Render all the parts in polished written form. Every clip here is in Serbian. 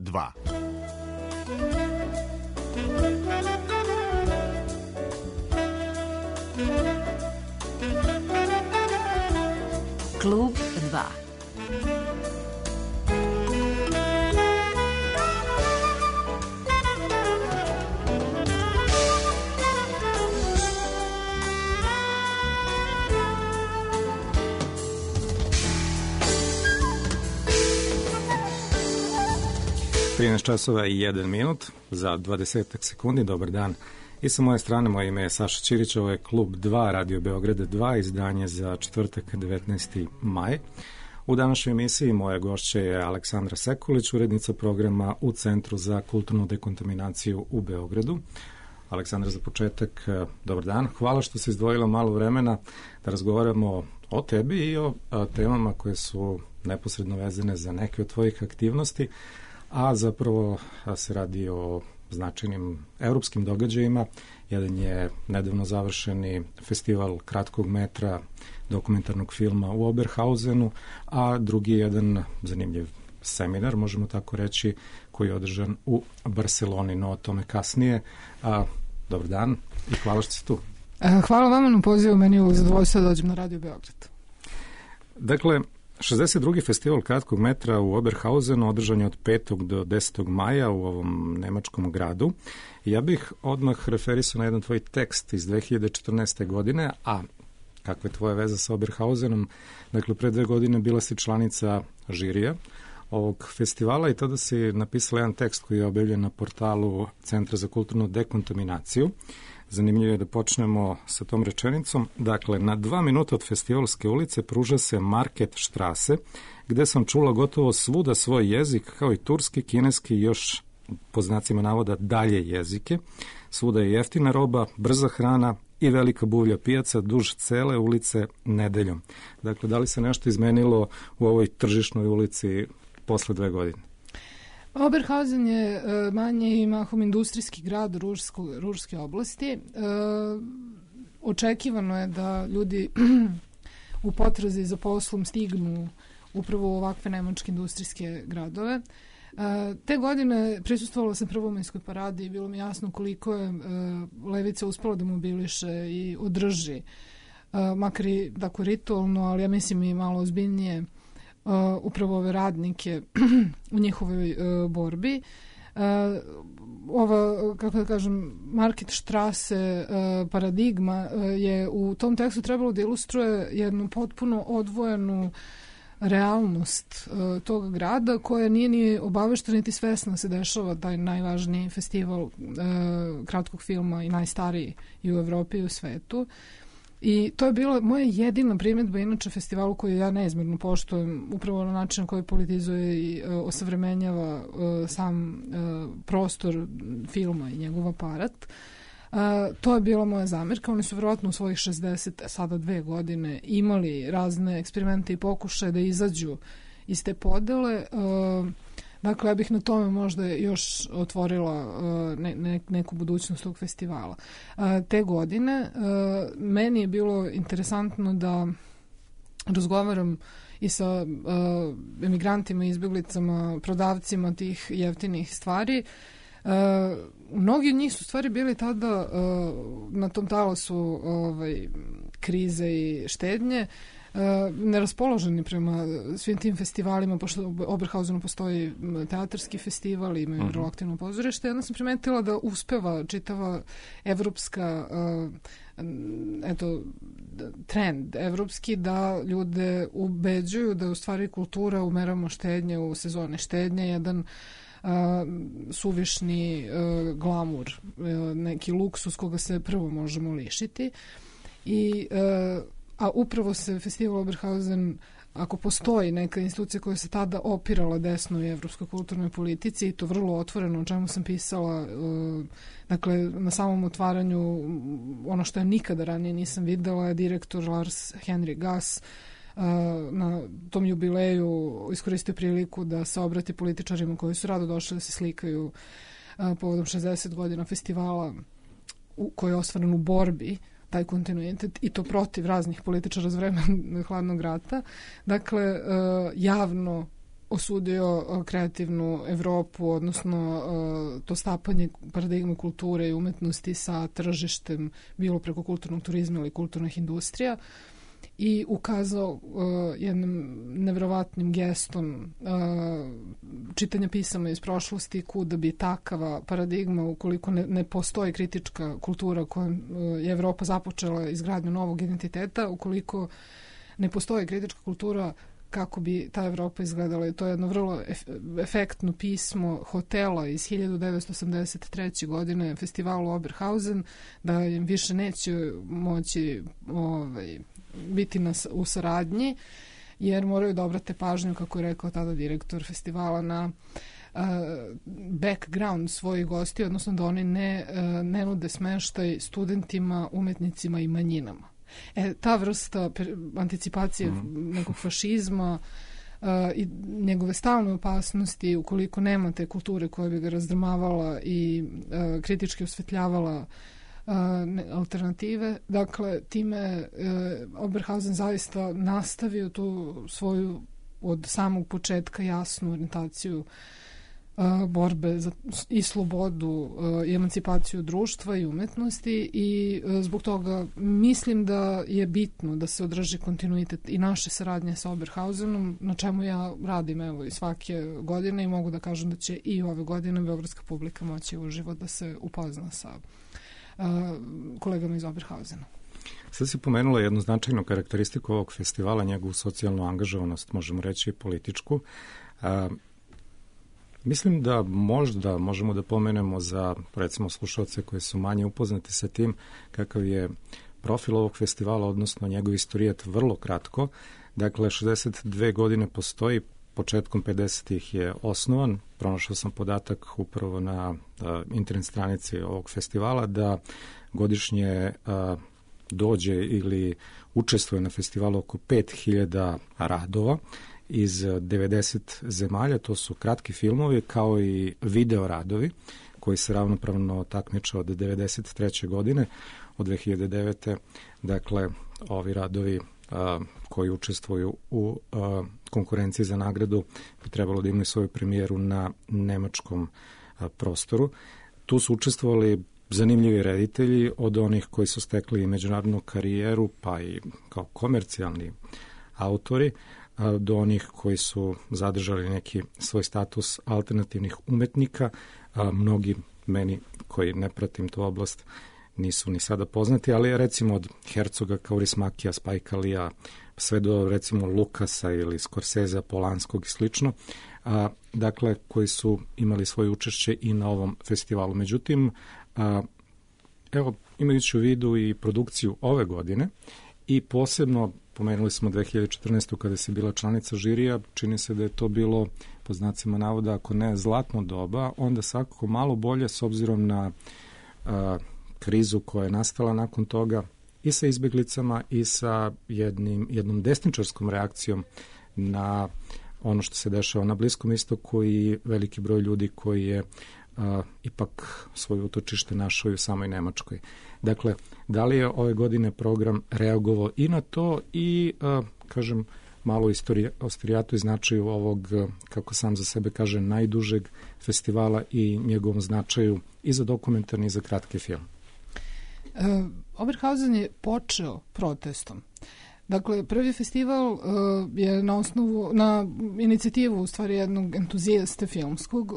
2. Klub 2. časova i 1 minut za 20 sekundi. Dobar dan. I sa moje strane, moje ime je Saša Ćirić, ovo je Klub 2, Radio Beograda 2, izdanje za četvrtak 19. maj. U današnjoj emisiji moja gošća je Aleksandra Sekulić, urednica programa u Centru za kulturnu dekontaminaciju u Beogradu. Aleksandra, za početak, dobar dan. Hvala što se izdvojila malo vremena da razgovaramo o tebi i o temama koje su neposredno vezane za neke od tvojih aktivnosti, a zapravo se radi o značajnim evropskim događajima. Jedan je nedavno završeni festival kratkog metra dokumentarnog filma u Oberhausenu, a drugi je jedan zanimljiv seminar, možemo tako reći, koji je održan u Barceloni, no o tome kasnije. Dobar dan i hvala što ste tu. Hvala vama na pozivu, meni je zadovoljstvo da dođem na Radio Beograd. Dakle, 62. festival kratkog metra u Oberhausenu održan je od 5. do 10. maja u ovom nemačkom gradu. Ja bih odmah referisao na jedan tvoj tekst iz 2014. godine, a kakva je tvoja veza sa Oberhausenom? Dakle, pre 2 godine bila si članica žirija ovog festivala i tada si napisala jedan tekst koji je objavljen na portalu Centra za kulturnu dekontaminaciju. Zanimljivo je da počnemo sa tom rečenicom. Dakle, na 2 minuta od festivalske ulice pruža se Marketstrasse, gde sam čula gotovo svuda svoj jezik, kao i turski, kineski i još, po znacima navoda, dalje jezike. Svuda je jeftina roba, brza hrana i velika buvlja pijaca duž cele ulice nedeljom. Dakle, da li se nešto izmenilo u ovoj tržišnoj ulici posle 2 godine? Oberhausen je manje i mahom industrijski grad Ružske oblasti. Očekivano je da ljudi u potrazi za poslom stignu upravo u ovakve nemačke industrijske gradove. Te godine prisustvovala sam prvomajskoj paradi i bilo mi jasno koliko je levica uspela da mobiliše i održi, makar i tako ritualno, ali ja mislim i malo ozbiljnije, upravo ove radnike u njihovoj borbi. Ova, kako da kažem, Marketstrasse paradigma je u tom tekstu trebalo da ilustruje jednu potpuno odvojenu realnost tog grada koja nije ni obaveštena niti svesna se dešava taj najvažniji festival kratkog filma i najstariji i u Evropi i u svetu. I to je bila moja jedina primjedba inače festivalu koju ja neizmjerno poštujem, upravo na način koji politizuje i osavremenjava sam prostor filma i njegov aparat. To je bila moja zamerka. Oni su vjerojatno u svojih 60, sada 2 godine imali razne eksperimente i pokušaje da izađu iz te podele. Dakle, ja bih na tome možda još otvorila neku budućnost tog festivala. Te godine meni je bilo interesantno da razgovaram i sa emigrantima, izbjeglicama, prodavcima tih jeftinih stvari. Mnogi od njih su stvari bili tada na tom talasu krize i štednje, neraspoloženi prema svim tim festivalima, pošto u Oberhausenu postoji teatarski festival, imaju vrlo aktivno pozorište. Jedna sam primetila da uspeva čitava evropska trend evropski da ljude ubeđuju da u stvari kultura umeramo štednje u sezone štednje, jedan suvišni glamur, neki luksus koga se prvo možemo lišiti. A upravo se festival Oberhausen, ako postoji neka institucija koja se tada opirala desnoj evropskoj kulturnoj politici, i to vrlo otvoreno, o čemu sam pisala, dakle, na samom otvaranju, ono što ja nikada ranije nisam videla je direktor Lars Henrik Gass na tom jubileju iskoristio priliku da se obrati političarima koji su rado došli da se slikaju povodom 60 godina festivala koji je ostvaren u borbi, taj kontinuitet, i to protiv raznih političara za vremena hladnog rata. Dakle, javno osudio kreativnu Evropu, odnosno to stapanje paradigme kulture i umetnosti sa tržištem, bilo preko kulturnog turizma ili kulturnih industrija, i ukazao jednim nevjerovatnim gestom čitanja pisama iz prošlosti kuda bi takava paradigma, ukoliko ne postoji kritička kultura kojom je Evropa započela izgradnju novog identiteta, ukoliko ne postoji kritička kultura, kako bi ta Evropa izgledala. I to je jedno vrlo efektno pismo hotela iz 1983. godine festivalu Oberhausen, da im više neće moći biti u saradnji, jer moraju da obrate pažnju, kako je rekao tada direktor festivala, na background svojih gosti, odnosno da oni ne nude smeštaj studentima, umetnicima i manjinama. Ta vrsta anticipacije nekog fašizma i njegove stalne opasnosti, ukoliko nemate kulture koja bi ga razdrmavala i kritički osvetljavala alternative. Dakle, time Oberhausen zaista nastavio tu svoju od samog početka jasnu orijentaciju borbe za i slobodu i emancipaciju društva i umetnosti, i zbog toga mislim da je bitno da se održi kontinuitet i naše saradnje sa Oberhausenom, na čemu ja radim i svake godine, i mogu da kažem da će i ove godine beogradska publika moći uživo da se upozna sa kolegama iz Oberhausena. Sad si pomenula jednu značajnu karakteristiku ovog festivala, njegovu socijalnu angažovanost, možemo reći i političku. Mislim da možda možemo da pomenemo za, recimo, slušalce koji su manje upoznati sa tim kakav je profil ovog festivala, odnosno njegov istorijet, vrlo kratko. Dakle, 62 godine postoji, početkom 50-ih je osnovan. Pronašao sam podatak upravo na internet stranici ovog festivala da godišnje dođe ili učestvuje na festivalu oko 5000 radova iz 90 zemalja. To su kratki filmovi kao i video radovi koji se ravnopravno takmiče od 93. godine, od 2009. Dakle, ovi radovi koji učestvuju u konkurenciji za nagradu bi trebalo da imaju svoju premijeru na nemačkom prostoru. Tu su učestvovali zanimljivi reditelji, od onih koji su stekli međunarodnu karijeru, pa i kao komercijalni autori, do onih koji su zadržali neki svoj status alternativnih umetnika. Mnogi meni koji ne pratim tu oblast nisu ni sada poznati, ali recimo od Herzoga, Kaurismakija, Spike Leea, sve do recimo Lukasa ili Scorsesea, Polanskog i slično, dakle, koji su imali svoje učešće i na ovom festivalu. Međutim, evo, imajući u vidu i produkciju ove godine i posebno, pomenuli smo 2014. kada si bila članica žirija, čini se da je to bilo, po znacima navoda, ako ne zlatno doba, onda svakako malo bolje s obzirom na krizu koja je nastala nakon toga i sa izbjeglicama i sa jednom desničarskom reakcijom na ono što se dešava na Bliskom istoku i veliki broj ljudi koji je ipak svoje utočište našao i u samoj Nemačkoj. Dakle, da li je ove godine program reagovao i na to i, kažem, malo istorijatu i značaju ovog, kako sam za sebe kaže, najdužeg festivala i njegovom značaju i za dokumentarni i za kratki film? Oberhausen je počeo protestom. Dakle, prvi festival je na inicijativu u stvari jednog entuzijaste filmskog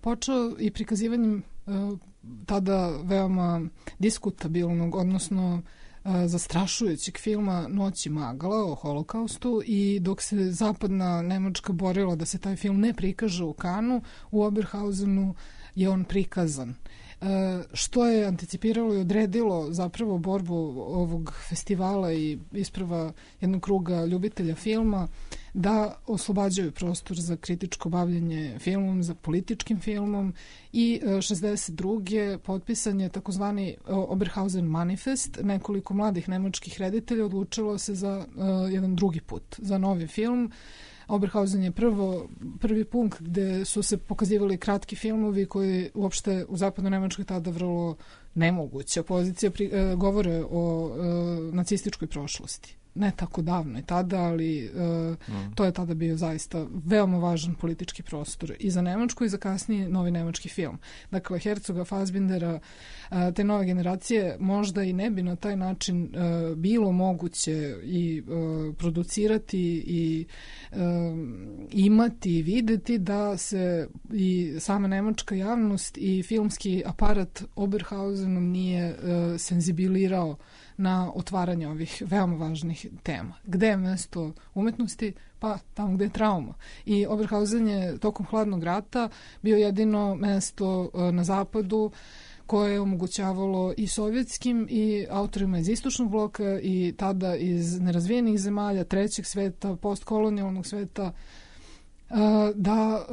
počeo i prikazivanjem tada veoma diskutabilnog, odnosno zastrašujućeg filma Noć i magla o holokaustu, i dok se zapadna Nemačka borila da se taj film ne prikaže u Kanu, u Oberhausenu je on prikazan. Što je anticipiralo i odredilo zapravo borbu ovog festivala i isprava jednog kruga ljubitelja filma da oslobađaju prostor za kritičko bavljenje filmom, za političkim filmom, i 62. potpisan je takozvani Oberhausen manifest. Nekoliko mladih nemačkih reditelja odlučilo se za jedan drugi put, za novi film. Oberhausen je prvi punkt gde su se pokazivali kratki filmovi koji uopšte u zapadnoj Nemačkoj tada vrlo nemoguća pozicija, govore o nacističkoj prošlosti. ne tako davno i tada, ali to je tada bio zaista veoma važan politički prostor i za Nemačku i za kasnije novi nemački film. Dakle, Herzoga, Fassbindera, te nove generacije možda i ne bi na taj način bilo moguće i producirati i imati i videti da se i sama nemačka javnost i filmski aparat Oberhausenom nije senzibilirao na otvaranje ovih veoma važnih tema. Gde je mesto umetnosti? Pa tamo gde je trauma. I Oberhausen je tokom hladnog rata bio jedino mesto na zapadu koje je omogućavalo i sovjetskim i autorima iz istočnog bloka i tada iz nerazvijenih zemalja, trećeg sveta, postkolonijalnog sveta, da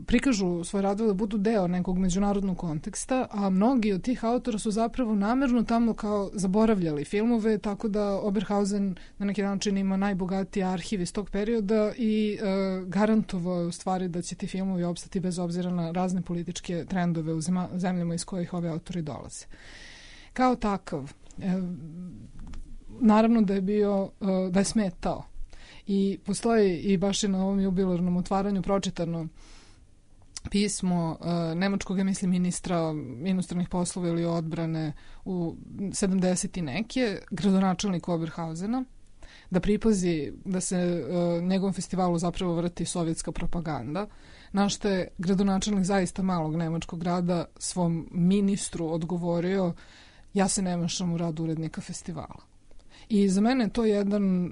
prikažu svoje radove, da budu deo nekog međunarodnog konteksta, a mnogi od tih autora su zapravo namerno tamo kao zaboravljali filmove, tako da Oberhausen na neki način ima najbogatiji arhiv iz tog perioda i garantovao je u stvari da će ti filmovi opstati bez obzira na razne političke trendove u zemljama iz kojih ovi autori dolaze. Kao takav, naravno da je bio, da je smetao. I postoji i baš je na ovom jubilarnom otvaranju pročitano pismo nemačkog, ja mislim, ministra inostranih poslova ili odbrane u 70. i neke, gradonačelniku Oberhausena, da pripazi da se njegovom festivalu zapravo vrti sovjetska propaganda, na što je gradonačelnik zaista malog nemačkog grada svom ministru odgovorio: ja se ne mešam u rad urednika festivala. I za mene je to jedan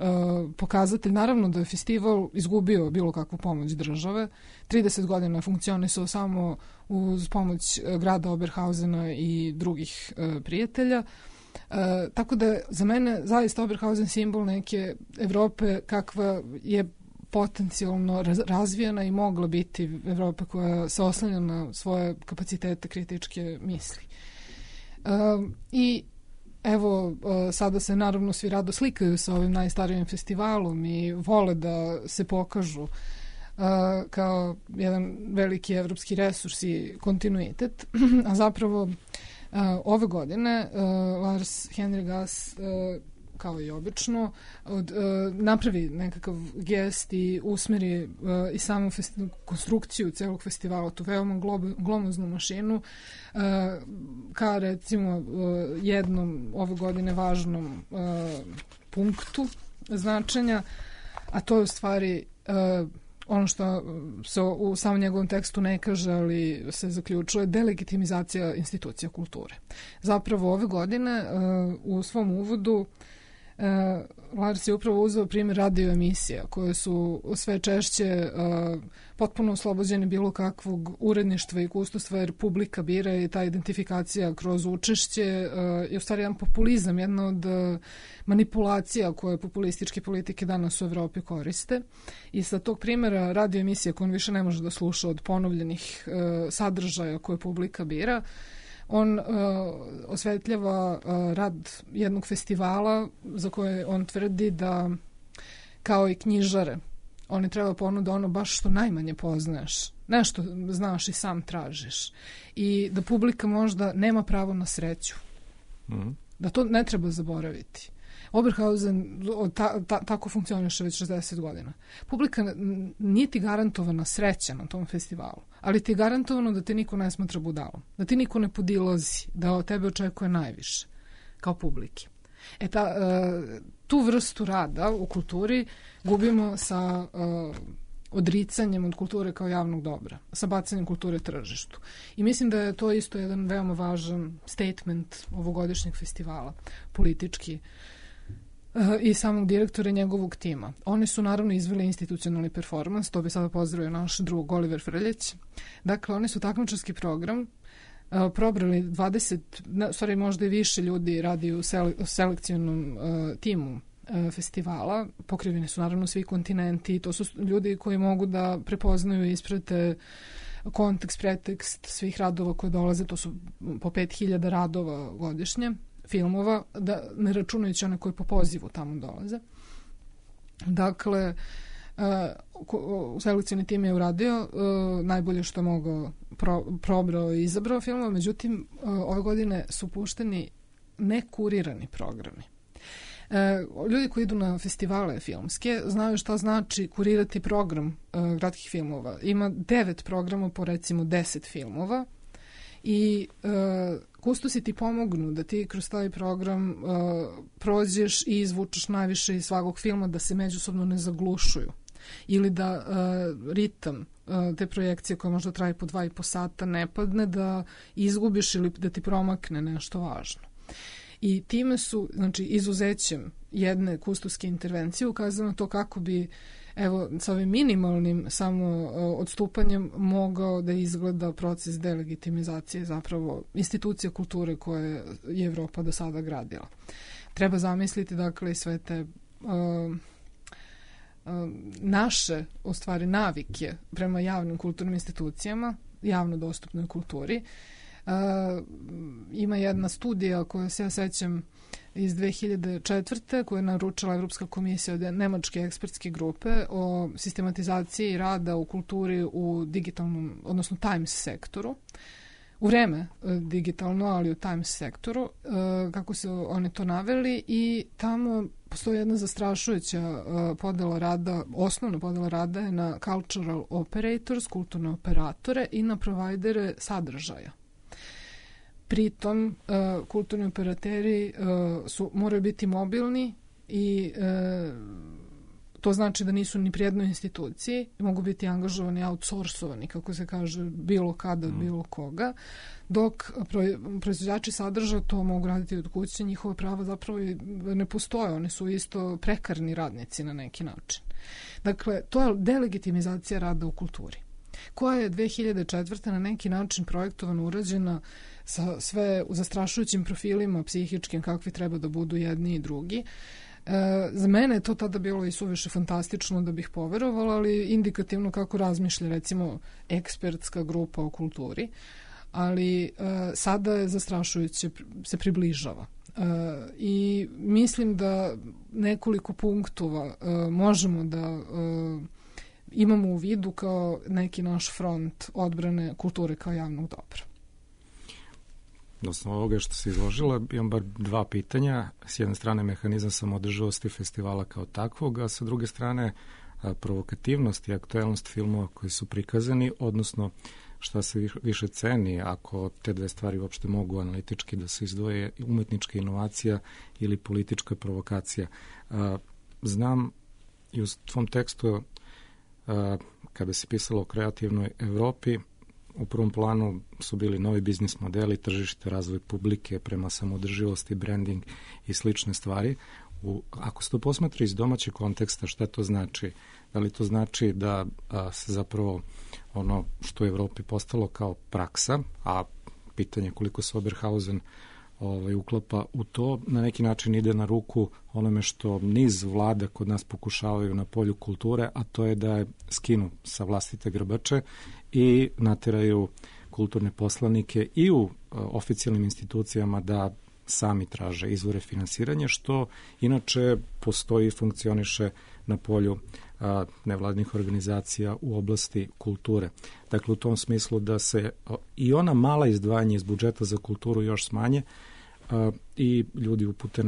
pokazatelj, naravno da je festival izgubio bilo kakvu pomoć države. 30 godina funkcionisao samo uz pomoć grada Oberhausena i drugih prijatelja. Tako da je za mene zaista Oberhausen simbol neke Evrope kakva je potencijalno razvijena i mogla biti Evropa koja se oslanja na svoje kapacitete kritičke misli. I evo, sada se naravno svi rado slikaju sa ovim najstarijim festivalom i vole da se pokažu kao jedan veliki evropski resurs i kontinuitet, a zapravo ove godine Lars Henrik Gass, kao i obično, napravi nekakav gest i usmeri i samu konstrukciju celog festivala, tu veoma glomaznu mašinu, ka recimo jednom ove godine važnom punktu značenja, a to je u stvari ono što se u samom njegovom tekstu ne kaže, ali se zaključuje, delegitimizacija institucija kulture. Zapravo ove godine u svom uvodu Lars je upravo uzeo primjer radio emisija koje su sve češće potpuno oslobođene bilo kakvog uredništva i kustostva, jer publika bira i ta identifikacija kroz učešće je u stvari jedan populizam, jedna od manipulacija koje populističke politike danas u Evropi koriste. I sa tog primjera radio emisija koju on više ne može da sluša od ponovljenih sadržaja koje publika bira, on osvetljava rad jednog festivala za koje on tvrdi da, kao i knjižare, oni treba ponuda ono baš što najmanje poznaješ, nešto znaš i sam tražiš, i da publika možda nema pravo na sreću, da to ne treba zaboraviti. Oberhausen tako funkcioniše već 60 godina. Publika nije ti garantovana sreća na tom festivalu, ali ti je garantovano da te niko ne smatra budalom, da ti niko ne podilazi, da od tebe očekuje najviše kao publike. Tu vrstu rada u kulturi gubimo sa odricanjem od kulture kao javnog dobra, sa bacanjem kulture tržištu. I mislim da je to isto jedan veoma važan statement ovogodišnjeg festivala, politički, i samog direktora i njegovog tima. Oni su naravno izveli institucionalni performans, to bi sada pozdravio naš drug Oliver Frljeć. Dakle, oni su takmičarski program probrali 20, stvari možda i više ljudi radi u selekcionom timu festivala. Pokriveni su naravno svi kontinenti, to su ljudi koji mogu da prepoznaju i isprate kontekst, pretekst svih radova koje dolaze, to su po 5000 radova godišnje, filmova, da ne računajući one koji po pozivu tamo dolaze. Dakle, selekcioni tim je uradio najbolje što je mogao, probrao i izabrao filmova, međutim ove godine su pušteni nekurirani programi. Ljudi koji idu na festivale filmske znaju šta znači kurirati program gradskih filmova. Ima 9 programa po recimo 10 filmova i kustosi ti pomognu da ti kroz taj program prođeš i izvučeš najviše iz svakog filma, da se međusobno ne zaglušuju ili da ritam te projekcije koja možda traje po 2,5 sata ne padne, da izgubiš ili da ti promakne nešto važno. I time su, znači, izuzećem jedne kustoske intervencije ukazano to kako bi, evo, sa ovim minimalnim samo odstupanjem mogao da izgleda proces delegitimizacije zapravo institucija kulture koje je Evropa do sada gradila. Treba zamisliti, dakle, sve te naše, u stvari, navike prema javnim kulturnim institucijama, javno dostupnoj kulturi. Ima jedna studija koju se ja sećam iz 2004. koju je naručila Evropska komisija od nemačke ekspertske grupe o sistematizaciji rada u kulturi u digitalnom, odnosno Times sektoru. U vreme digitalno, ali u Times sektoru, kako su oni to naveli, i tamo postoji jedna zastrašujuća podela rada, osnovna podela rada je na cultural operators, kulturne operatore, i na provajdere sadržaja. Pritom, kulturni operateri moraju biti mobilni i to znači da nisu ni pri jednoj instituciji, mogu biti angažovani, outsourcovani, kako se kaže, bilo kada, bilo koga, dok proizvođači sadržaja to mogu raditi od kuće, njihova prava zapravo ne postoje, oni su isto prekarni radnici na neki način. Dakle, to je delegitimizacija rada u kulturi, koja je 2004. na neki način projektovano urađena sa sve zastrašujućim profilima psihičkim kakvi treba da budu jedni i drugi. Za mene je to tada bilo i suviše fantastično da bih poverovala, ali indikativno kako razmišlja recimo ekspertska grupa o kulturi, ali sada je zastrašujuće se približava. I mislim da nekoliko punktova možemo da imamo u vidu kao neki naš front odbrane kulture kao javnog dobra. Na osnovu ovoga što se izložila, imam bar 2 pitanja. S jedne strane mehanizam samoodrživosti festivala kao takvog, a sa druge strane provokativnost i aktuelnost filmova koji su prikazani, odnosno šta se više ceni ako te dve stvari uopšte mogu analitički da se izdvoje, umetnička inovacija ili politička provokacija. Znam i u tvom tekstu kada se pisalo o kreativnoj Evropi, u prvom planu su bili novi biznis modeli, tržište, razvoj publike prema samoodrživosti, branding i slične stvari. Ako se to posmatra iz domaćeg konteksta, šta to znači? Da li to znači da se zapravo ono što u Evropi postalo kao praksa, a pitanje koliko se Oberhausen uklapa u to, na neki način ide na ruku onome što niz vlada kod nas pokušavaju na polju kulture, a to je da je skinu sa vlastite grbače i nateraju kulturne poslanike i u oficijalnim institucijama da sami traže izvore finansiranja, što inače postoji i funkcioniše na polju nevladnih organizacija u oblasti kulture. Dakle, u tom smislu da se i ona mala izdvajanja iz budžeta za kulturu još smanje i ljudi upute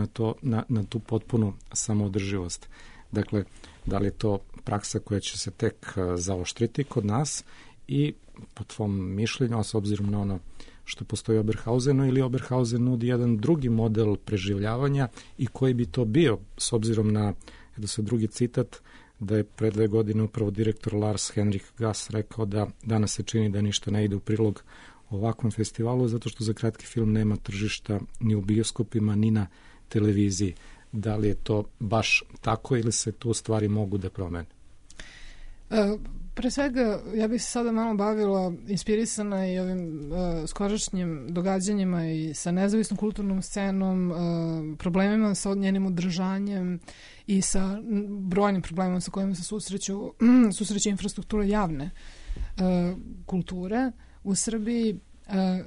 na tu potpunu samoodrživost. Dakle, da li je to praksa koja će se tek zaoštriti kod nas i po tvom mišljenju, a s obzirom na ono što postoji u Oberhausenu, ili Oberhausen nudi jedan drugi model preživljavanja i koji bi to bio, s obzirom na, edo se drugi citat, da je pre 2 godine upravo direktor Lars Henrik Gass rekao da danas se čini da ništa ne ide u prilog ovakvom festivalu, zato što za kratki film nema tržišta ni u bioskopima, ni na televiziji. Da li je to baš tako ili se tu stvari mogu da promene? Pre svega, ja bih se sada malo bavila inspirisana i ovim skorašnjim događanjima i sa nezavisnom kulturnom scenom, problemima sa njenim održanjem i sa brojnim problemima sa kojima se susreće infrastruktura javne kulture u Srbiji.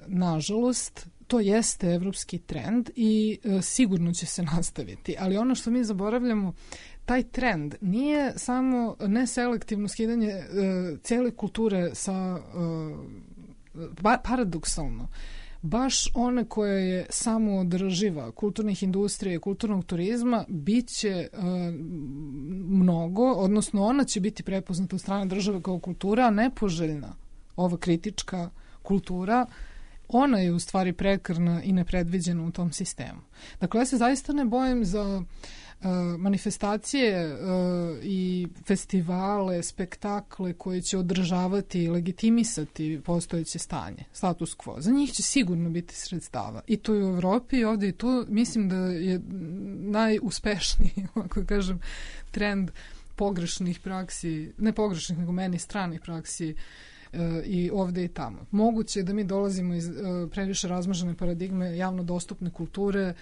Nažalost, to jeste evropski trend i sigurno će se nastaviti, ali ono što mi zaboravljamo, taj trend nije samo neselektivno skidanje cele kulture sa paradoksalno. baš one koja je samoodrživa, kulturnih industrija i kulturnog turizma, bit će mnogo, odnosno ona će biti prepoznata od strane države kao kultura, a nepoželjna, ova kritička kultura, ona je u stvari prekarna i nepredviđena u tom sistemu. Dakle, ja se zaista ne bojim za manifestacije i festivale, spektakle koji će održavati i legitimisati postojeće stanje, status quo. Za njih će sigurno biti sredstava. I to i u Evropi i ovdje i tu mislim da je najuspešniji, ako kažem, trend pogrešnih praksi, ne pogrešnih, nego meni stranih praksi i ovdje i tamo. Moguće je da mi dolazimo iz previše razmažene paradigme javno dostupne kulture.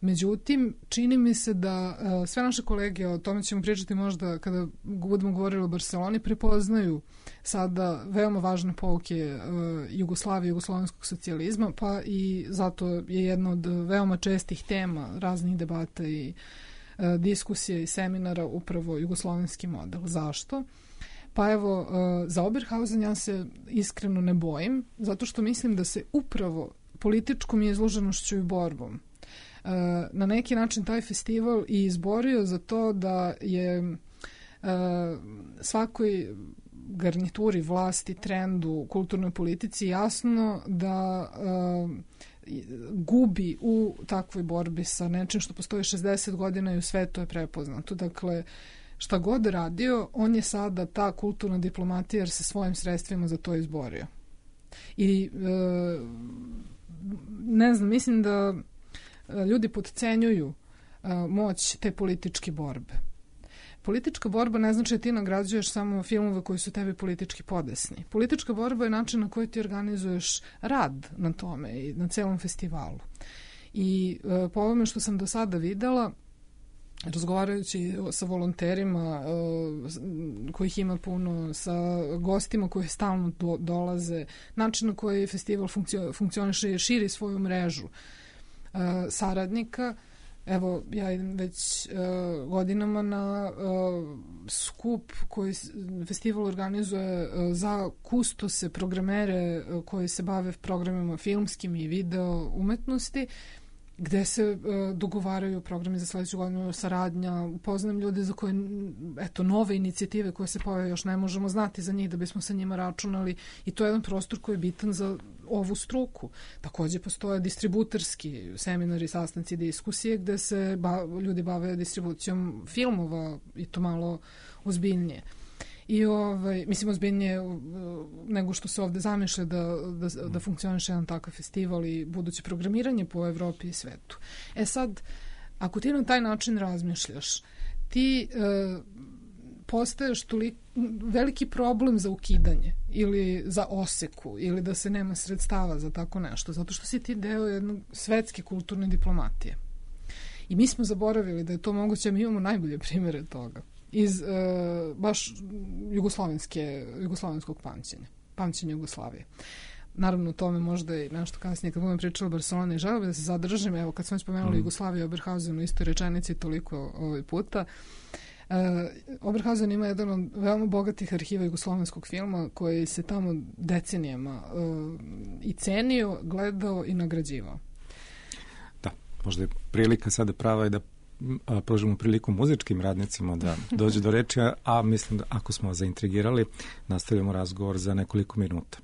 Međutim, čini mi se da sve naše kolege, o tome ćemo pričati možda kada budemo govorili o Barceloni, prepoznaju sada veoma važne pouke Jugoslavije, jugoslovenskog socijalizma, pa i zato je jedna od veoma čestih tema raznih debata i diskusije i seminara upravo jugoslovenski model. Zašto? Pa evo, za Oberhausen ja se iskreno ne bojim, zato što mislim da se upravo političkom izloženošću i borbom na neki način taj festival i izborio za to da je svakoj garnituri, vlasti, trendu, kulturnoj politici jasno da gubi u takvoj borbi sa nečim što postoji 60 godina i u svetu je prepoznato. Dakle, šta god radio, on je sada ta kulturna diplomatija jer se svojim sredstvima za to izborio. I ne znam, mislim da ljudi podcenjuju moć te političke borbe. Politička borba ne znači da ti nagrađuješ samo filmove koji su tebi politički podesni. Politička borba je način na koji ti organizuješ rad na tome i na celom festivalu. I po ovome što sam do sada videla, razgovarajući sa volonterima kojih ima puno, sa gostima koji stalno dolaze, način na koji festival funkcioniše i širi svoju mrežu saradnika. Evo, ja idem već godinama na skup koji festival organizuje za kustose, programere koji se bave programima filmskim i video umetnosti, gde se dogovaraju programi za sledeću godinu, saradnja, upoznam ljude za koje, eto, nove inicijative koje se pojave, još ne možemo znati za njih da bismo sa njima računali i to je jedan prostor koji je bitan za ovu struku. Takođe postoje distributerski seminari, sastanci, diskusije gde se ljudi bave distribucijom filmova i to malo ozbiljnije. I mislim ozbiljnije nego što se ovde zamišlja da funkcioniše jedan takav festival i buduće programiranje po Evropi i svetu. E sad, ako ti na taj način razmišljaš, ti postaješ veliki problem za ukidanje ili za oseku ili da se nema sredstava za tako nešto, zato što si ti deo jednog svetske kulturne diplomatije. I mi smo zaboravili da je to moguće, mi imamo najbolje primjere toga iz baš jugoslovenskog pamćenja Jugoslavije. Naravno, o tome možda i nešto kasnije kad budem pričala o Barceloni i želeo da se zadržim. Evo, kad smo spomenuli Jugoslaviju i Oberhausen u istoj rečenici toliko ovaj puta, Oberhausen ima jedan od veoma bogatih arhiva jugoslovenskog filma koji se tamo decenijama i cenio, gledao i nagrađivao. Da, možda je prilika sada prava i da pružimo priliku muzičkim radnicima da dođu do reči, a mislim da ako smo zaintrigirali, nastavljamo razgovor za nekoliko minuta.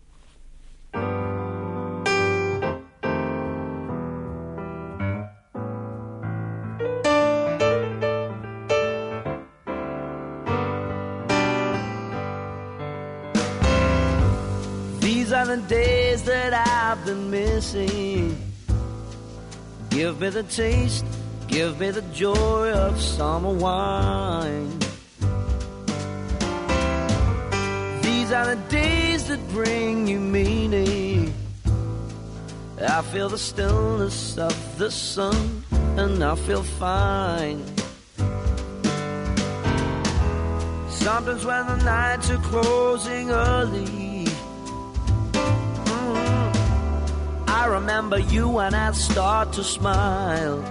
These are the days that I've been missing. Give me the taste, give me the joy of summer wine. These are the days that bring you meaning. I feel the stillness of the sun and I feel fine. Sometimes when the nights are closing early, I remember you and I start to smile.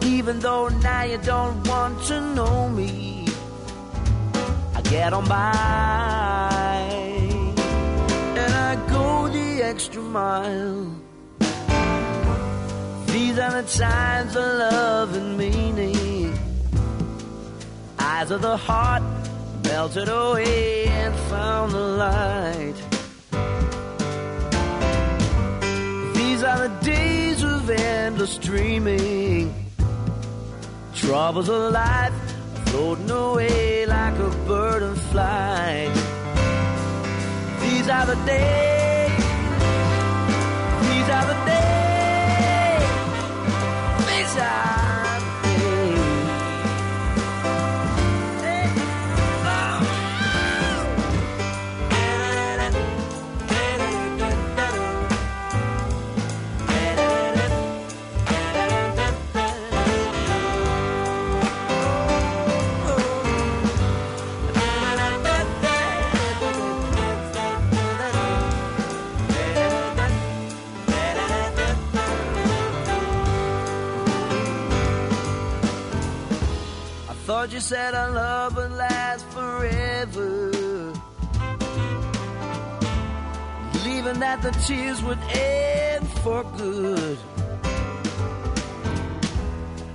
Even though now you don't want to know me, I get on by. And I go extra mile. These are the times of love and meaning. Eyes of the heart melted away and found the light. These are the days of endless dreaming. Troubles of life floating away like a bird in flight. These are the days. These are the days. These are. Thought you said our love would last forever, believing that the tears would end for good.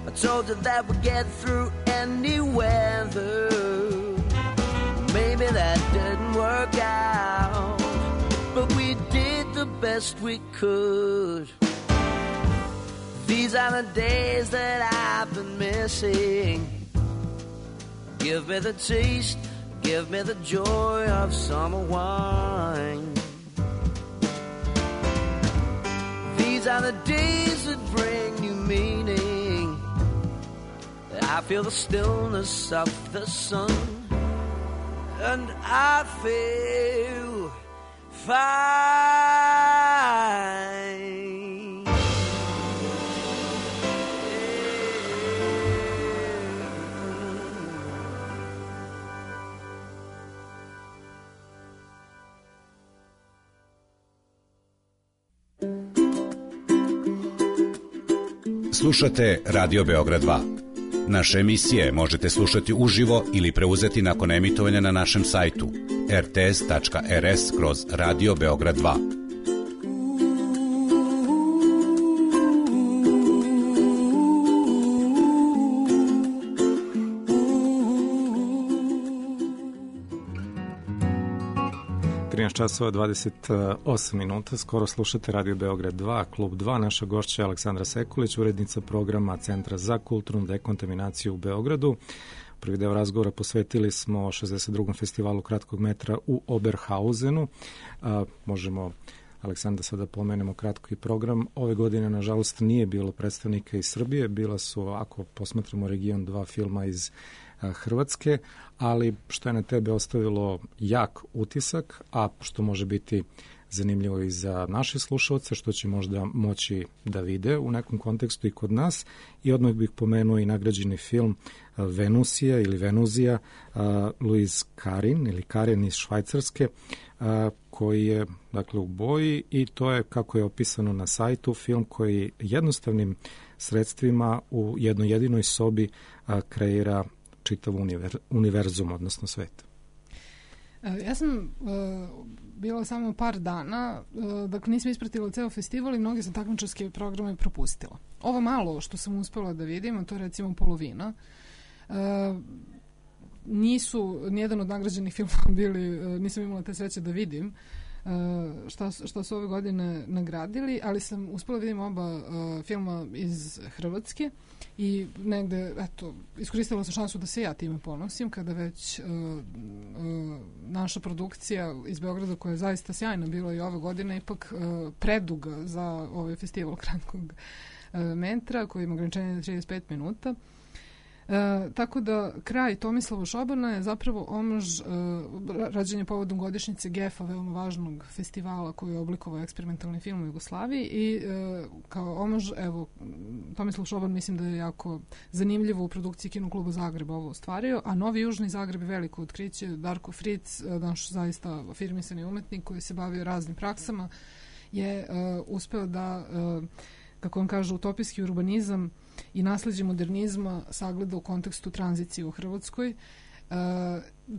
I told you that we'd get through any weather. Maybe that didn't work out, but we did the best we could. These are the days that I've been missing. Give me the taste, give me the joy of summer wine. These are the days that bring new meaning. I feel the stillness of the sun, and I feel fine. Slušate Radio Beograd 2. Naše emisije možete slušati uživo ili preuzeti nakon emitovanja na našem sajtu rts.rs/Radio Beograd 2. Časova 28 minuta, skoro slušate Radio Beograd 2, Klub 2, naša gošća Aleksandra Sekulić, urednica programa Centra za kulturnu dekontaminaciju u Beogradu. Prvi deo razgovora posvetili smo 62. festivalu kratkog metra u Oberhausenu. Možemo, Aleksandra, sada pomenemo kratko i program. Ove godine, nažalost, nije bilo predstavnika iz Srbije, bila su, ako posmatramo region, 2 filma iz Hrvatske, ali što je na tebe ostavilo jak utisak, a što može biti zanimljivo i za naše slušalce, što će možda moći da vide u nekom kontekstu i kod nas. I odmah bih pomenuo i nagrađeni film Venusija ili Venuzija Louise Karin ili Karin iz Švajcarske, koji je dakle u boji, i to je, kako je opisano na sajtu, film koji jednostavnim sredstvima u jednoj jedinoj sobi kreira čitav univerzum, odnosno svet. Ja sam bila samo par dana, dakle nisam ispratila ceo festival i mnogi sam takmičarske programe propustila. Ovo malo što sam uspela da vidim, a to je recimo polovina, nijedan od nagrađenih filmova bili, nisam imala te sreće da vidim šta su ove godine nagradili, ali sam uspela da vidim oba filma iz Hrvatske i negde, eto, iskoristila sam šansu da se ja time ponosim, kada već naša produkcija iz Beograda, koja je zaista sjajna bila i ove godine, ipak preduga za ovaj festival kratkog metra, koji ima ograničenje na 35 minuta. Tako da kraj Tomislava Šobana je zapravo omaž rađenje povodom godišnjice GEF-a, veoma važnog festivala koji je oblikovao eksperimentalni film u Jugoslaviji, i kao omaž, evo, Tomislav Šoban mislim da je jako zanimljivo u produkciji Kino kluba Zagreba ovo ostvario, a Novi Južni Zagreb je veliko otkriće. Darko Fritz, naš zaista afirmisani umetnik koji se bavio raznim praksama, je uspeo da, kako on kaže, utopijski urbanizam i nasleđe modernizma sagleda u kontekstu tranzicije u Hrvatskoj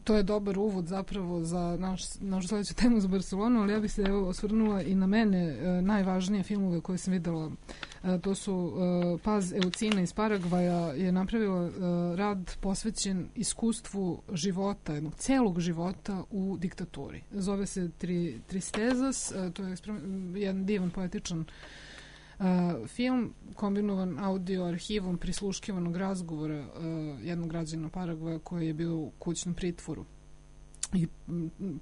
To je dobar uvod zapravo za našu sledeću temu za Barcelonu, ali ja bih se osvrnula i na mene najvažnije filmove koje sam videla. To su Paz Eucina iz Paragvaja je napravila rad posvećen iskustvu života, jednog celog života u diktaturi. Zove se Tristezas, to je jedan divan poetičan film kombinovan audio arhivom prisluškivanog razgovora jednog građana Paragvaja koji je bio u kućnom pritvoru i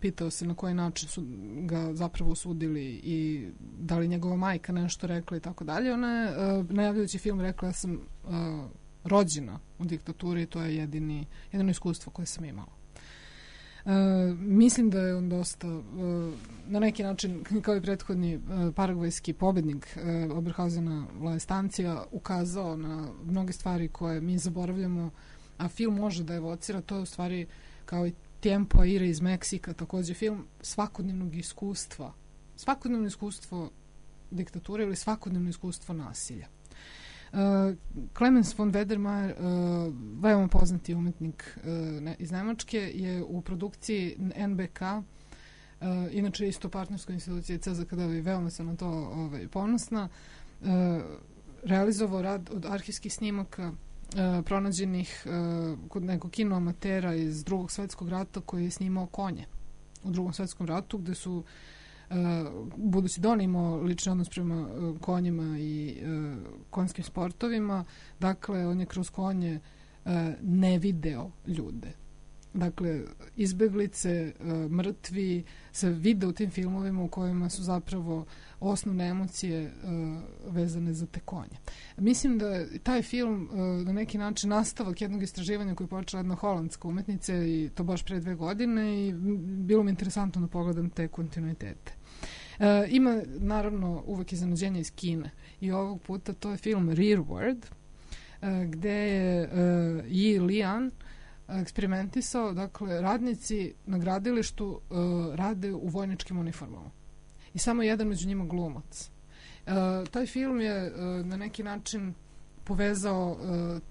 pitao se na koji način su ga zapravo osudili i da li njegova majka nešto rekla i tako dalje. Ona je najavljujući film rekla ja sam rođena u diktaturi i to je jedino iskustvo koje sam imala. Mislim da je on dosta na neki način kao i prethodni paragvajski pobednik Oberhausena La Estancia ukazao na mnoge stvari koje mi zaboravljamo, a film može da evocira. To je u stvari kao i Tiempo Aire iz Meksika, takođe film svakodnevnog iskustva, svakodnevno iskustvo diktature ili svakodnevno iskustvo nasilja. Clemens von Wedermayer, veoma poznati umetnik iz Nemačke, je u produkciji NBK, inače isto partnerskoj instituciji CZKD, i veoma sam na to ponosna, realizovao rad od arhivskih snimaka pronađenih kod nekog kinoamatera iz Drugog svetskog rata koji je snimao konje u Drugom svetskom ratu, gde su budući da on imao lični odnos prema konjima i konjskim sportovima, dakle on je kroz konje ne video ljude. Dakle, izbeglice, mrtvi se vide u tim filmovima u kojima su zapravo osnovne emocije vezane za te konje. Mislim da je taj film na neki način nastavak jednog istraživanja koje je počela jedna holandska umetnica i to baš pre 2 godine i bilo mi interesantno da pogledam te kontinuitete. Ima naravno uvek iznenađenja iz Kine i ovog puta to je film Rearward, gde je Yi Lian eksperimentisao, dakle radnici na gradilištu rade u vojničkim uniformama i samo jedan među njima glumac. Taj film je na neki način povezao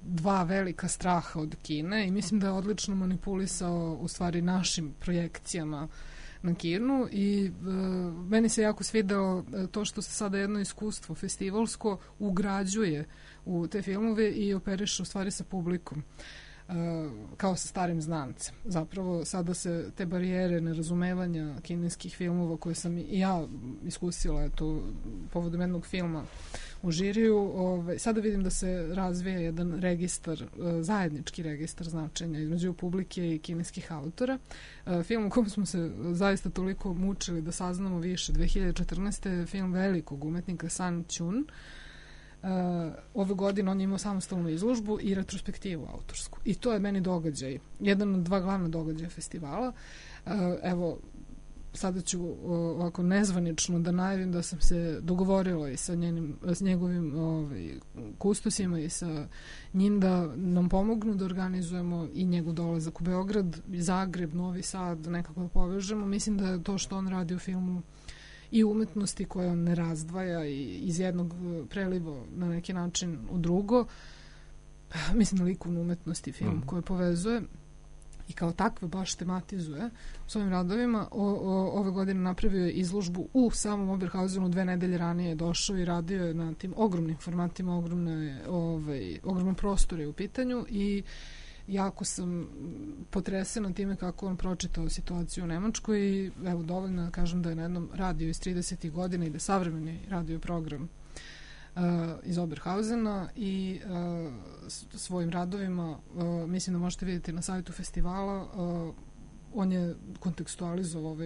2 velika straha od Kine i mislim da je odlično manipulisao u stvari našim projekcijama na Kinu i meni se jako svidelo to što se sada jedno iskustvo festivalsko ugrađuje u te filmove i operiše u stvari sa publikom kao sa starim znancem. Zapravo sada se te barijere nerazumevanja kineskih filmova koje sam i ja iskusila povodom jednog filma u žiriju, sada vidim da se razvija jedan registar, zajednički registar značenja između publike i kineskih autora. Film u kojem smo se zaista toliko mučili da saznamo više 2014. je film velikog umetnika San Chun. Ove godine on je imao samostalnu izložbu i retrospektivu autorsku. I to je meni događaj, jedan od 2 glavna događaja festivala. Evo, sada ću ovako nezvanično da najavim da sam se dogovorila i sa njegovim kustosima i sa njim da nam pomognu da organizujemo i njegov dolazak u Beograd, Zagreb, Novi Sad, nekako da povežemo. Mislim da je to što on radi u filmu i umetnosti koje on ne razdvaja i iz jednog preliva na neki način u drugo. Mislim na likovnu umetnost i film koje povezuje i kao takve baš tematizuje u svojim radovima. Ove godine napravio je izložbu u samom Oberhausenu, 2 nedelje ranije je došao i radio je na tim ogromnim formatima, ogromnom prostoru je u pitanju i jako sam potresena time kako on pročitao situaciju u Nemačkoj i evo dovoljno da kažem da je na jednom radio iz 30. godina i da je savremeni radio program iz Oberhausena i svojim radovima mislim da možete vidjeti na sajtu festivala. On je kontekstualizovao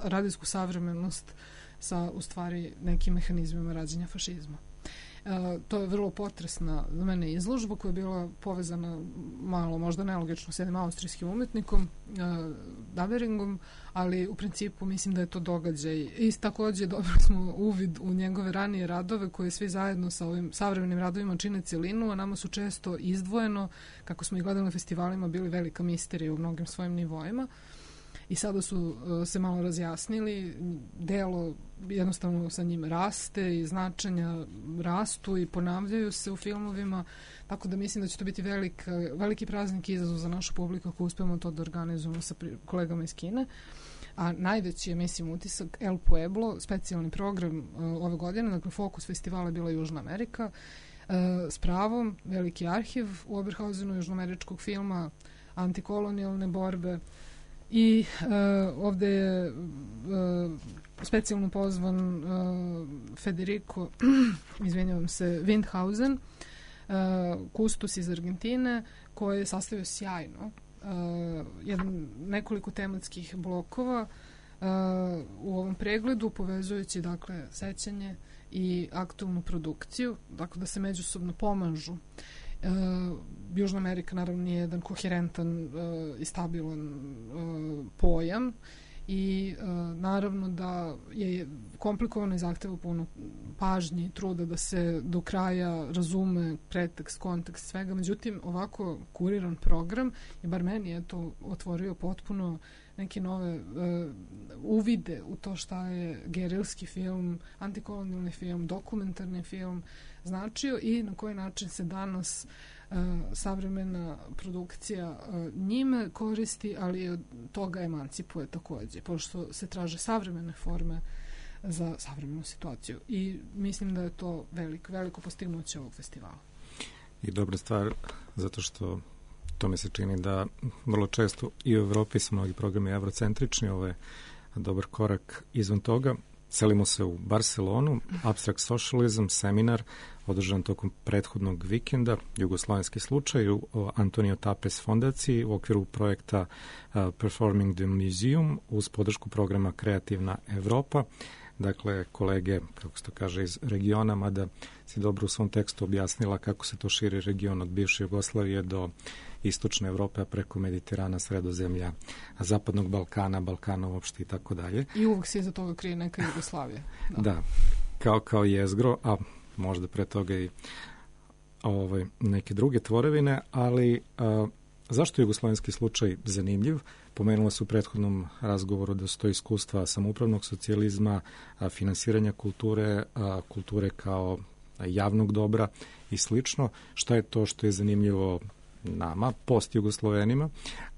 radijsku savremenost sa u stvari nekim mehanizmima rađenja fašizma. To je vrlo potresna za mene izložba koja je bila povezana malo, možda nelogično s jednim austrijskim umetnikom, Daberingom, ali u principu mislim da je to događaj. I takođe dobili smo uvid u njegove ranije radove koje svi zajedno sa ovim savremenim radovima čine celinu, a nama su često izdvojeno, kako smo ih gledali na festivalima, bili velika misterija u mnogim svojim nivoima. i sada su se malo razjasnili, delo jednostavno sa njim raste i značenja rastu i ponavljaju se u filmovima, tako da mislim da će to biti veliki praznik i izazov za našu publiku ako uspemo to da organizujemo sa kolegama iz Kine. A najveći je, mislim, utisak El Pueblo, specijalni program ove godine, dakle fokus festivala je bila Južna Amerika, s pravom, veliki arhiv u Oberhausenu južnoameričkog filma, antikolonijalne borbe i ovde je specijalno pozvan Federico, izvinjavam se, Windhausen, kustos iz Argentine, koji je sastavio sjajno nekoliko tematskih blokova u ovom pregledu, povezujući dakle sećanje i aktualnu produkciju, dakle da se međusobno pomažu. Južna Amerika naravno nije jedan koherentan i stabilan pojam i naravno da je komplikovano i zahteva puno pažnje i truda da se do kraja razume pretekst, kontekst svega. Međutim, ovako kuriran program i bar meni je to otvorio potpuno neke nove uvide u to šta je gerilski film, antikolonijalni film, dokumentarni film značio i na koji način se danas savremena produkcija njime koristi, ali od toga emancipuje takođe, pošto se traže savremene forme za savremenu situaciju. I mislim da je to veliko postignuće ovog festivala. I dobra stvar, zato što to mi se čini da vrlo često i u Evropi su mnogi programi evrocentrični, ovo je dobar korak izvan toga. Selimo se u Barcelonu, Abstract Socialism, seminar održan tokom prethodnog vikenda, jugoslovenski slučaj u Antonio Tapes fondaciji u okviru projekta Performing the Museum uz podršku programa Kreativna Evropa. Dakle, kolege, kako se to kaže, iz regiona, mada si dobro u svom tekstu objasnila kako se to širi region od bivše Jugoslavije do istočne Evrope, a preko Mediterana, Sredozemlja, Zapadnog Balkana, Balkana uopšte i tako dalje. I uvek se iza toga krije neka Jugoslavija. Da, kao jezgro, a možda pre toga i neke druge tvorevine, ali zašto je jugoslovenski slučaj zanimljiv? Pomenula se u prethodnom razgovoru da su to iskustva samoupravnog socijalizma, finansiranja kulture kao javnog dobra i slično. Šta je to što je zanimljivo nama, post-Jugoslovenima,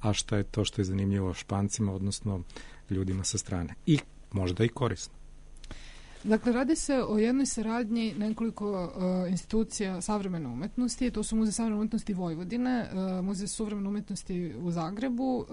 a šta je to što je zanimljivo Špancima, odnosno ljudima sa strane? I možda i korisno. Dakle, radi se o jednoj saradnji nekoliko institucija savremene umetnosti. To su Muzej savremene umetnosti Vojvodine, Muzej savremene umetnosti u Zagrebu,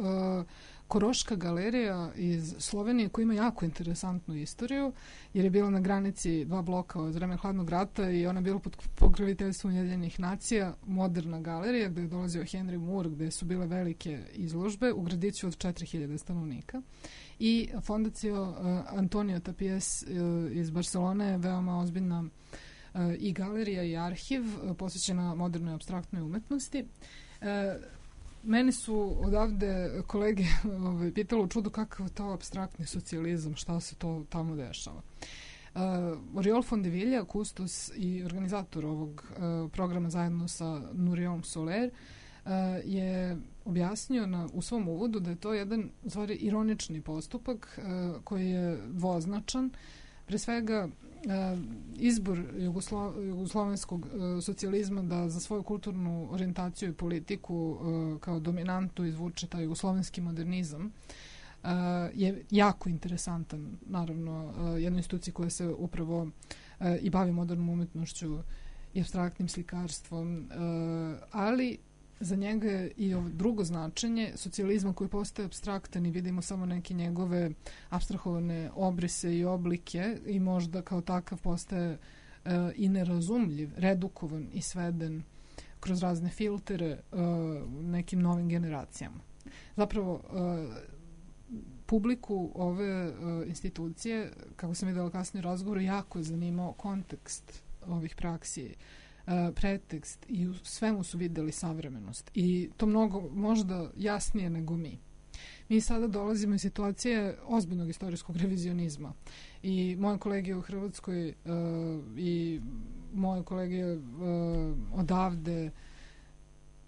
Koroška galerija iz Slovenije koja ima jako interesantnu istoriju, jer je bila na granici dva bloka od vremena hladnog rata i ona je bila pod pokroviteljstvom Ujedinjenih nacija, moderna galerija gde je dolazio Henry Moore, gde su bile velike izložbe u gradiću od 4000 stanovnika. I fondacija Antonio Tapes iz Barcelone je veoma ozbiljna i galerija i arhiv posvećena modernoj apstraktnoj umetnosti. Meni su odavde kolege pitalo u čudu kakav je to apstraktni socijalizam, šta se to tamo dešava. Oriol Fondevilla, kustos i organizator ovog programa zajedno sa Nuriom Soler, je objasnio u svom uvodu da je to jedan ironični postupak koji je dvoznačan. Pre svega izbor jugoslovenskog socijalizma da za svoju kulturnu orijentaciju i politiku kao dominantu izvuče taj jugoslovenski modernizam je jako interesantan, naravno, jednoj instituciji koja se upravo i bavi modernom umetnošću i apstraktnim slikarstvom, ali za njega je i drugo značenje socijalizma koji postaje apstraktan i vidimo samo neke njegove apstrahovane obrise i oblike i možda kao takav postaje i nerazumljiv, redukovan i sveden kroz razne filtere nekim novim generacijama. Zapravo, publiku ove institucije, kako sam videla kasnije u razgovoru, jako je zanimao kontekst ovih praksi, pretekst i u svemu su videli savremenost i to mnogo možda jasnije nego mi. Mi sada dolazimo iz situacije ozbiljnog istorijskog revizionizma i moje kolege u Hrvatskoj i moje kolege odavde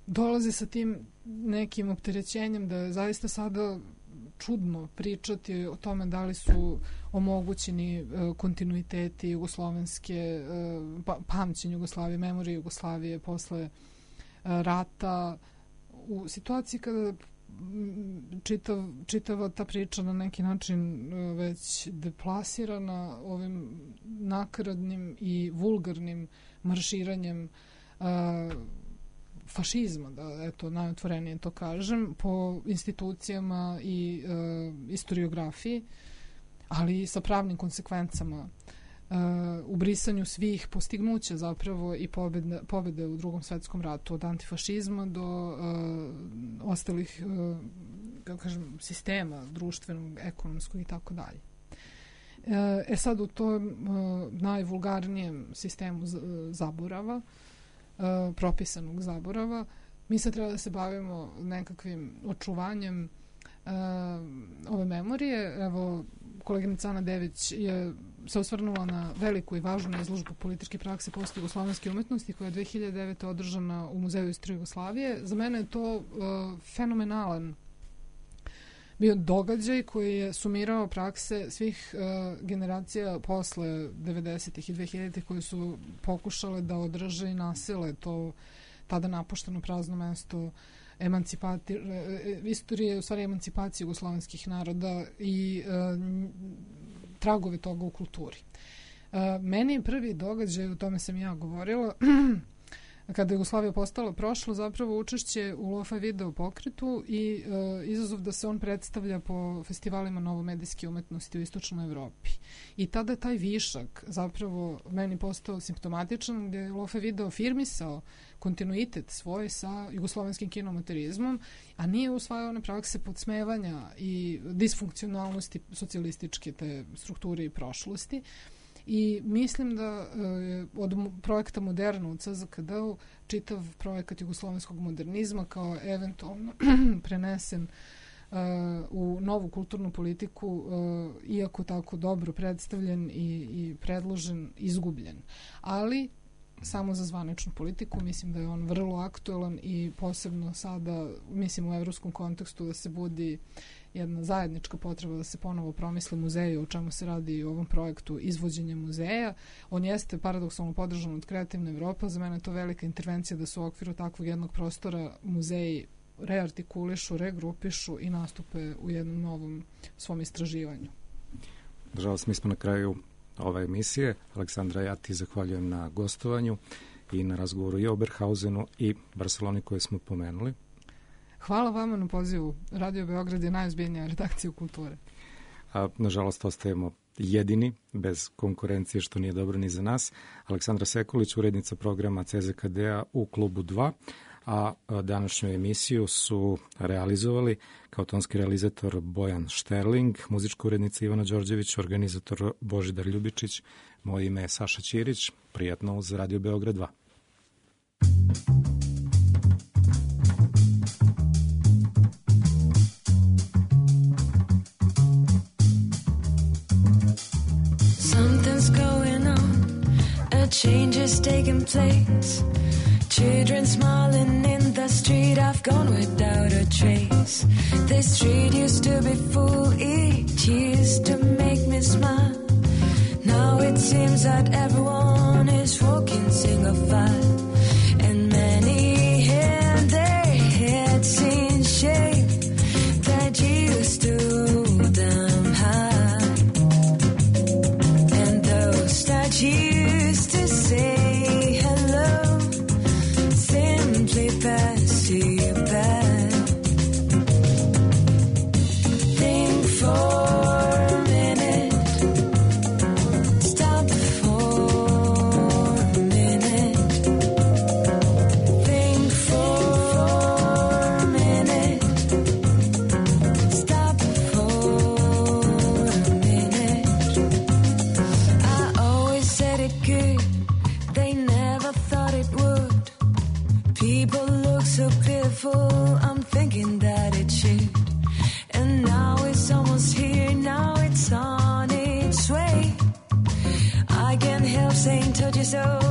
dolaze sa tim nekim opterećenjem da je zaista sada čudno pričati o tome da li su omogućeni kontinuiteti jugoslovenske, pamćenje Jugoslavije, memorije Jugoslavije posle rata, u situaciji kada čitava ta priča na neki način već deplasirana ovim nakaradnim i vulgarnim marširanjem fašizma, da eto najotvorenije to kažem, po institucijama i istoriografiji, ali i sa pravnim konsekvencama, u brisanju svih postignuća zapravo i pobede u Drugom svetskom ratu, od antifašizma do ostalih kako kažem, sistema društvenog, ekonomskog i tako dalje. Sad u tom najvulgarnijem sistemu zaborava, propisanog zaborava, mi sad treba da se bavimo nekakvim očuvanjem ove memorije. Evo, koleginica Ana Dević je se osvrnula na veliku i važnu izložbu političke prakse post-jugoslovenske umetnosti koja je 2009. održana u Muzeju istorije Jugoslavije. Za mene je to fenomenalan bio događaj koji je sumirao prakse svih generacija posle 90-ih i 2000-ih koji su pokušale da održe i nasile to tada napušteno prazno mesto istorije, u stvari emancipacije jugoslovenskih naroda i tragove toga u kulturi. Meni je prvi događaj, o tome sam ja govorila, kada je Jugoslavija postala prošlo, zapravo učešće u Lo-Fi video pokretu i izazov da se on predstavlja po festivalima novomedijske umetnosti u istočnoj Evropi. I tada je taj višak zapravo meni postao simptomatičan, gdje je Lo-Fi video firmisao kontinuitet svoj sa jugoslovenskim kinomaterizmom, a nije usvajao one prakse podsmevanja i disfunkcionalnosti socijalističke te strukture i prošlosti. I mislim da od projekta Moderno u CZKD-u čitav projekat jugoslovenskog modernizma kao eventualno prenesen u novu kulturnu politiku, iako tako dobro predstavljen i predložen, izgubljen. Ali samo za zvaničnu politiku mislim da je on vrlo aktuelan i posebno sada, mislim u evropskom kontekstu, da se budi jedna zajednička potreba da se ponovo promisli muzeju, o čemu se radi i u ovom projektu izvođenja muzeja. On jeste paradoksalno podržan od Kreativne Evrope, za mene je to velika intervencija da se u okviru takvog jednog prostora muzeji reartikulišu, regrupišu i nastupe u jednom novom svom istraživanju. Nažalost, mi smo na kraju ove emisije. Aleksandra, ja ti zahvaljujem na gostovanju i na razgovoru i o Oberhausenu i Barceloni koje smo pomenuli. Hvala vama na pozivu. Radio Beograd je najozbiljnija redakcija kulture. Nažalost, ostajemo jedini, bez konkurencije, što nije dobro ni za nas. Aleksandra Sekulić, urednica programa CZKD-a u Klubu 2, a današnju emisiju su realizovali kao tonski realizator Bojan Šterling, muzička urednica Ivana Đorđević, organizator Božidar Ljubičić, moje ime je Saša Ćirić. Prijatno uz Radio Beograd 2. Something's going on, a change is taking place. Children smiling in the street, I've gone without a trace. This street used to be full, it used to make me smile. Now it seems that everyone is walking single file. And many had their heads in shape that used to them high. And those that used to say hello simply pass you by. Think for a minute, stop for a minute. Think for a minute, stop for a minute. I always said it could, they never thought it would. People look so pitiful, I'm thinking that it should. And now it's almost here, now it's on its way. I can't help saying told you so.